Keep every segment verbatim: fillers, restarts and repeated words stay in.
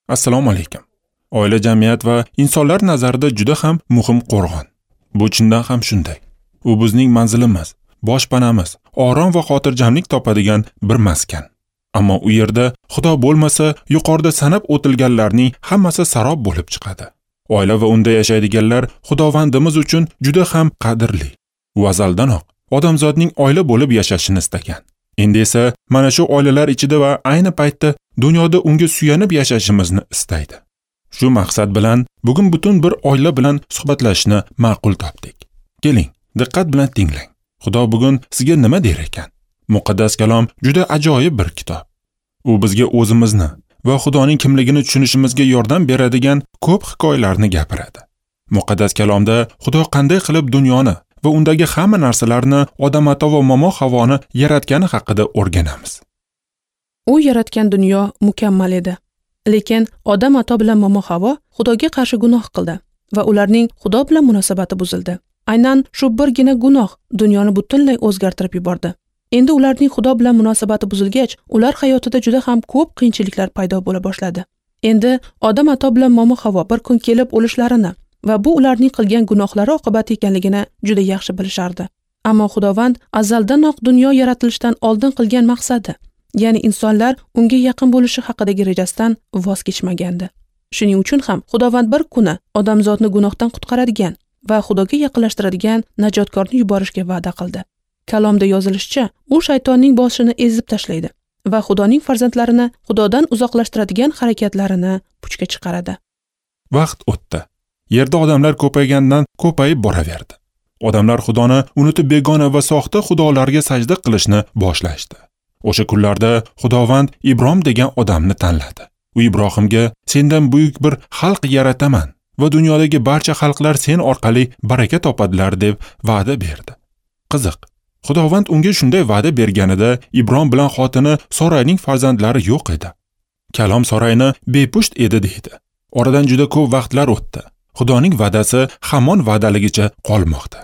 Assalomu alaykum. Oila jamiyat va insonlar nazarida juda ham muhim qo'rg'on. Bu chindan ham shunday. U bizning manzilimiz, boshpanamiz, orom va xotirjamlik topadigan bir maskan. Ammo u yerda Xudo bo'lmasa, yuqorida sanab o'tilganlarning hammasi sarob bo'lib chiqadi. Oila va unda yashaydiganlar Xudovandimiz uchun juda ham qadrli. U azaldanoq odamzodning oila bo'lib yashashini istagan. Endi esa mana shu oilalar ichida va ayni paytda dunyoda unga suyanib yashashimizni istaydi. Shu maqsad bilan bugun butun bir oila bilan suhbatlashishni ma'qul topdik. Keling, diqqat bilan tinglang. Xudo bugun sizga nima der ekan? Muqaddas kalom juda ajoyib bir kitob. U bizga o'zimizni va Xudoning kimligini tushunishimizga yordam beradigan ko'p hikoyalarni gapiradi. Muqaddas kalomda Xudo qanday qilib dunyoni va undagi hamma narsalarni Odam ata va Momo Havoni yaratgani haqida o'rganamiz. U yaratgan dunyo mukammal edi. Lekin Odam ata bilan Momo Havo Xudoga qarshi gunoh qildi va ularning Xudo bilan munosabati buzildi. Aynan shu birgina gunoh dunyoni butunlay o'zgartirib yubordi. Endi ularning Xudo bilan munosabati buzilgach, ular hayotida juda ham ko'p qiyinchiliklar paydo bo'la boshladi. Endi Odam ata bilan Momo Havo bir kun kelib o'lishlarini va bu ularning qilgan gunohlari oqibati ekanligini juda yaxshi bilishardi. Ammo Xudovand azaldanoq dunyo yaratilishidan oldin qilgan maqsadi, ya'ni insonlar unga yaqin bo'lishi haqidagi rejasidan voz kechmagandi. Shuning uchun ham Xudovand bir kuni odamzodni gunohdan qutqaradigan va Xudoga yaqinlashtiradigan najotkorni yuborishga va'da qildi. Kalomda yozilishicha, u shaytonning boshini ezib tashlaydi va Xudoning farzandlarini Xudodan uzoqlashtiradigan harakatlarini puchga chiqaradi. Vaqt o'tdi. Yerda odamlar ko'paygandan ko'payib boraverdi. Odamlar Xudoni unutib begona va soxta xudolarga sajda qilishni boshlashdi. O'sha kunlarda Xudovand Ibrohim degan odamni tanladi. U Ibrohimga sendan buyuk bir xalq yarataman va dunyodagi barcha xalqlar sen orqali baraka topadilar deb va'da berdi. Qiziq. Xudovand unga shunday va'da berganida Ibrohim bilan xotini Sorayning farzandlari yo'q edi. Kalom Sorayni bepusht edi deydi. Oradan juda ko'p vaqtlar o'tdi. Xudoning va'dasi hamon va'daligicha qolmoqda.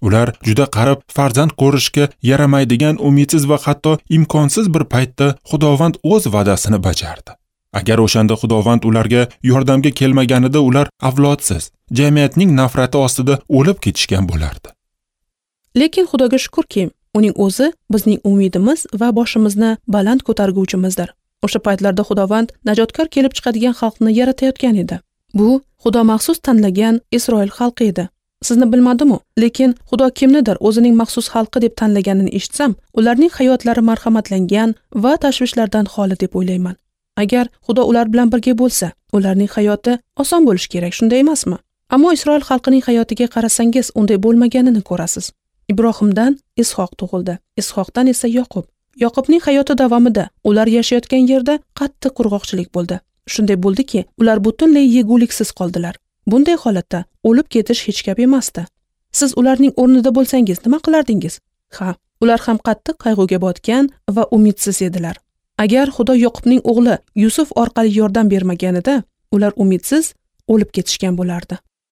Ular juda qarib farzand ko'rishga yaramaydigan umidsiz va hatto imkonsiz bir paytda Xudovand o'z va'dasini bajardi. Agar o'shanda Xudovand ularga yordamga kelmaganida ular avlodsiz, jamiyatning nafrati ostida o'lib ketishgan bo'lardi. Lekin Xudoga shukrki, uning o'zi bizning umidimiz va boshimizni baland ko'targuvchimizdir. O'sha paytlarda Xudovand najotkor kelib chiqadigan xalqni yaratayotgan edi. Bu Xudo maxsus tanlagan Isroil xalqi edi. Sizni bilmadim-u, lekin Xudo kimnidir o'zining maxsus xalqi deb tanlaganini eshitsam, ularning hayotlari marhamatlangan va tashvishlardan xoli deb o'ylayman. Agar Xudo ular bilan birga bo'lsa, ularning hayoti oson bo'lishi kerak, shunday emasmi? Ammo Isroil xalqining hayotiga qarasangiz, unday bo'lmaganini ko'rasiz. Ibrohimdan Ishoq tug'ildi, Ishoqdan esa Yoqub. Yoqubning hayoti davomida ular yashayotgan yerda qattiq qurg'oqchilik bo'ldi. Shunday bo'ldiki, ular butunlay yeguliksiz qoldilar. Bunday holatda o'lib ketish hech gap emasdi. Siz ularning o'rnida bo'lsangiz nima qilardingiz? Ha, ular ham qattiq qayg'uga botgan va umidsiz edilar. Agar Xudo Yoqubning o'g'li Yusuf orqali yordam bermaganida, ular umidsiz o'lib ketishgan bo'lardi.